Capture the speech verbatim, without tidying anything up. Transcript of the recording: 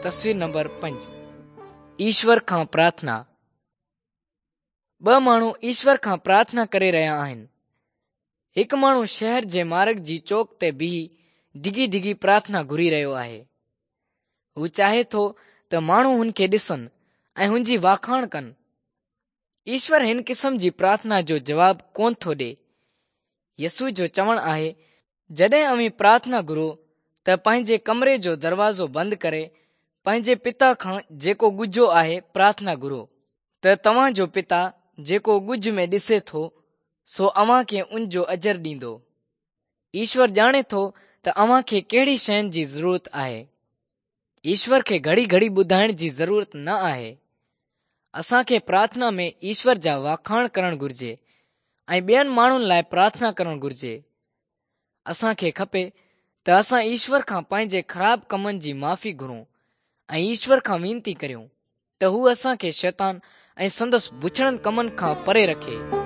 تصوير نمبر پنج، ايشور کان پرارٿنا. ٻه ماڻهو ايشور کان پرارٿنا ڪري رهيا آهن. هڪ ماڻهو شهر جي مارگ جي چوڪ تي بيهي ڊگهي ڊگهي پرارٿنا گهري رهيو آهي. هو چاهي ٿو ته ماڻهو هن کي ڏسن ۽ هن جي واکاڻ ڪن. ايشور هن قسم جي پرارٿنا جو جواب ڪونه ٿو ڏئي. يسوع جو چوڻ آهي، جڏهن اوهين پرارٿنا گهرو ته پنهنجي ڪمري جو دروازو بند ڪري پنهنجي پتا کان جيڪو ڳجهو آهي پرارٿنا گهرو، ته توهان جو پتا جيڪو ڳجهه ۾ ڏسي ٿو سو اوهان کي ان جو اجر ڏيندو. ايشور ڄاڻي ٿو ته اوهان کي ڪهڙي شين جي ضرورت آهي. ايشور کي گهڙي گهڙي ٻڌائڻ جي ضرورت نه آهي. اسان کي پرارٿنا ۾ ايشور جا واکاڻ ڪرڻ گهرجي ۽ ٻين ماڻهن لاءِ پرارٿنا ڪرڻ گهرجي. اسان کي کپي ته اسان ايشور کان پنهنجي خراب ڪمن جي معافي گهرون ۽ ايشور کان وينتي ڪريون ته هو اسان کي شيطان ۽ سندس بڇڙن ڪمن کان پري رکي.